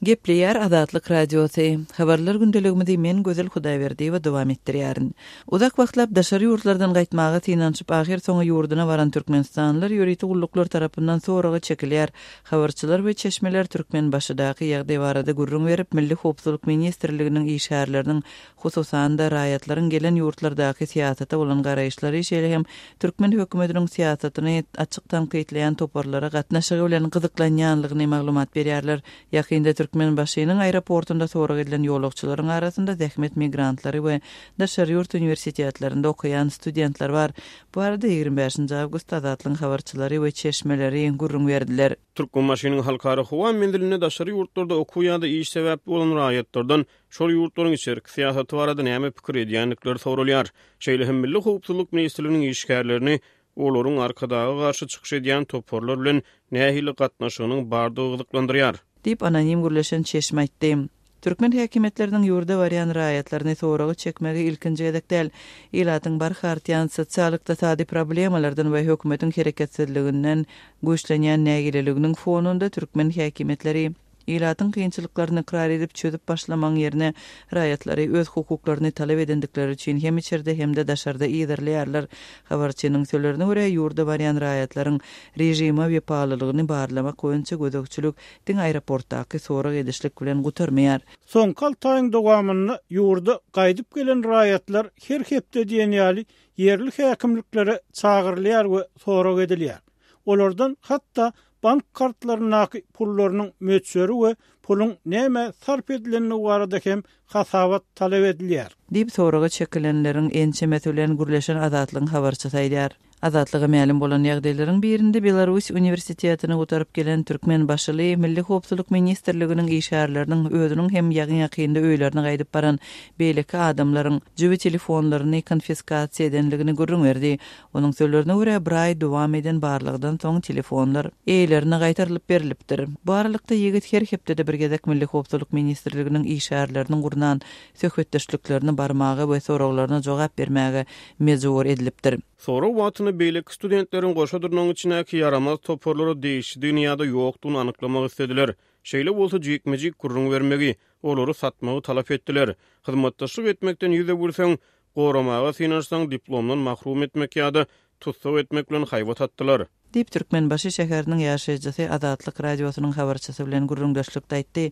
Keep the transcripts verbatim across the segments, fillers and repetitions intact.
Gepleýär Azatlyk Radiosy. Habarlar gündeligimizi men Gözel Hudaýberdiýewa dowam etdirýärin. Uzak wagtlap daşary ýurtlardan gaýtmaga synanyşyp ahyrsoňy ýurduna baran türkmenistanlylar ýörite gulluklar tarapyndan soraga çekilýär. Habarçylar we çeşmeler Türkmenbaşydaky ýagdaý barada gürrüň berip, Milli howpsuzlyk ministrliginiň işgärleriniň, hususan-da, raýatlaryň gelen ýurtlardaky syýasata bolan garaýyşlary, şeýle hem türkmen hökümetiniň syýasatyny açyk tankytlaýan toparlara gatnaşygy bilen gyzyklanýanlygyny maglumat berýärler. Ýakynda Türkmenbaşynyň aeroportunda sorag edilen ýolagçylaryň arasynda zähmet migrantlary we daşary ýurt uniwersitetlerinde okaýan studentler bar. Bu barada ýigrimi bäşinji awgustda Azatlygyň habarçylary we çeşmeleri gürrüň berdiler. Türkmenbaşynyň halkara howa menzilinde daşary ýurtlarda okuw ýa-da iş sebäpli bolan raýatlardan şol ýurtlaryň içerki syýasaty barada näme pikir edýändikleri soralýar. Şeýle hem Milli howpsuzlyk ministrliginiň işgärlerini olaryň Arkadaga garşy çykyş edýän toparlar bilen nähili gatnaşygynyň bardygy gyzyklandyrýar. Diýip, anonim gürleşen çeşme aýtdy. Türkmen häkimiýetleriniň ýurda barýan raýatlaryny soraga çekmegi ilkinji gezek däl. Ilatyň barha artýan sosial-ykdysady problemalardan we hökümetiň hereketsizliginden güýçlenýän nägileliginiň fonunda türkmen häkimiýetleri ilatyň kynçylyklaryny ykrar edip çözüp başlamagyň ýerine raýatlary öz hukuklaryny talap edendikleri üçin hem içerde hem-de daşarda yzarlaýarlar. Habarçynyň sözlerine görä, ýurda barýan raýatlaryň režime wepalylygyny barlamak boýunça gözegçilik diňe aeroportdaky sorag edişlik bilen gutarmaýar. Soňky alty aýyň dowamynda ýurda gaýdyp gelen raýatlar her hepde diýen ýaly ýerli häkimliklere çagyrylýar we sorag edilýär. Olardan hatda bank kartlaryndaky pullarynyň möçberi we puluň nämä sarp edilendigi barada hem hasabat talap edilýär. Diýip, soraga çekilenleriň ençemesi bilen gürleşen Azatlygyň habarçysy aýdýar. Azatlyga mälim bolan ýagdaýlaryň birinde Belarus uniwersitetini gutaryp gelen türkmenbaşyly Milli howpsuzlyk ministrliginiň işgärleriniň özüniň hem ýaňy-ýakynda öýlerine gaýdyp baran beýleki adamlaryň jübi telefonlaryny konfiskasiýa edenligini gürrüň berdi. Onuň sözlerine görä, bir aý dowam eden barlagdan soň telefonlar eýelerine gaýtarylyp berlipdir. Bu aralykda ýigit her hepdede bir gezek Milli howpsuzlyk ministrliginiň işgärleriniň gurnan söhbetdeşliklerine barmaga we soraglaryna jogap bermäge mejbur edilipdir. Sorag wagtynda beýleki studentleriň goşa dyrnagyň içindäki ýaramaz toparlara degişlidigini ýa-da ýokdugyny anyklamak islediler. Şeýle bolsa jikme-jik gürrüň bermegi, olary satmagy talap etdiler. Hyzmatdaşlyk etmekden ýüz öwürseň, goramaga synanyşsaň diplomdan mahrum etmek ýa-da tussag etmek bilen haýbat atdylar. Diýip, Türkmenbaşy şäheriniň ýaşaýjysy Azatlyk Radiosynyň habarçysy bilen gürrüňdeşlikde aýtdy.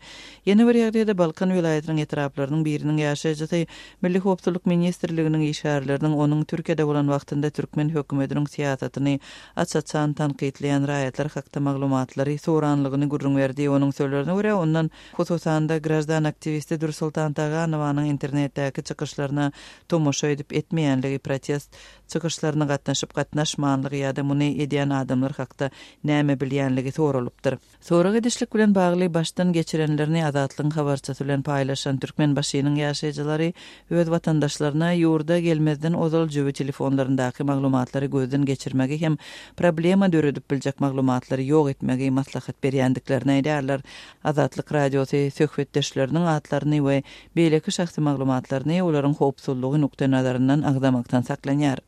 Ýene bir ýagdaýda Balkan welaýatynyň etraplarynyň biriniň ýaşaýjysy Milli howpsuzlyk ministrliginiň işgärleriniň onuň Türkiýede bolan wagtynda türkmen hökümetiniň syýasatyny aç-açan tankytlaýan raýatlar hakda maglumatlary soranlygyny gürrüň berdi. Onuň sözlerine görä, ondan hususan-da graždan aktiwisti Dürsoltan Taganowanyň internetdäki çykyşlaryna tomaşa edip etmeýänligi, protest çykyşlaryna gatnaşyp gatnaşmanlygy ýa-da muny edýän adamlar hakda näme bilýänligi soralypdyr. Sorag edişlik bilen bagly başdan geçirenlerini Azatlygyň habarçysy bilen paýlaşan Türkmenbaşynyň ýaşaýjylary öz watandaşlaryna ýurda gelmezden ozal jübi telefonlaryndaky maglumatlary gözden geçirmegi hem problema döredip biljek maglumatlary ýok etmegi maslahat berýändiklerini aýdýarlar. Azatlyk Radiosy söhbetdeşleriniň atlaryny we beýleki şahsy maglumatlaryny olaryň howpsuzlygy nukdaýnazaryndan agzamakdan saklanýar.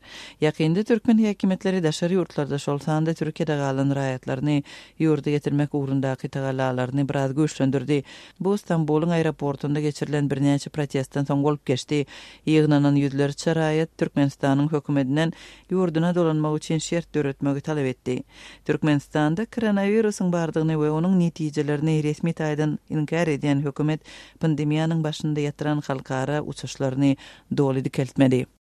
Ýakynda türkmen häkimiýetleri daşary ýurtlarda, şol sanda Türkiýede galan raýatlaryny ýurda getirmek ugrundaky tagallalaryny biraz güýçlendirdi. Bu Stambulyň aeroportunda geçirilen birnäçe protestden soň bolup geçdi. Ýygnanan ýüzlerçe raýat Türkmenistanyň hökümetinden ýurduna dolanmak üçin şert döretmegi talap etdi. Türkmenistanda koronawirusyň bardygyny we onuň netijelerini resmi taýdan inkär edýän hökümet pandemiýanyň başynda ýatyran halkara uçuşlaryny doly dikeltmedi.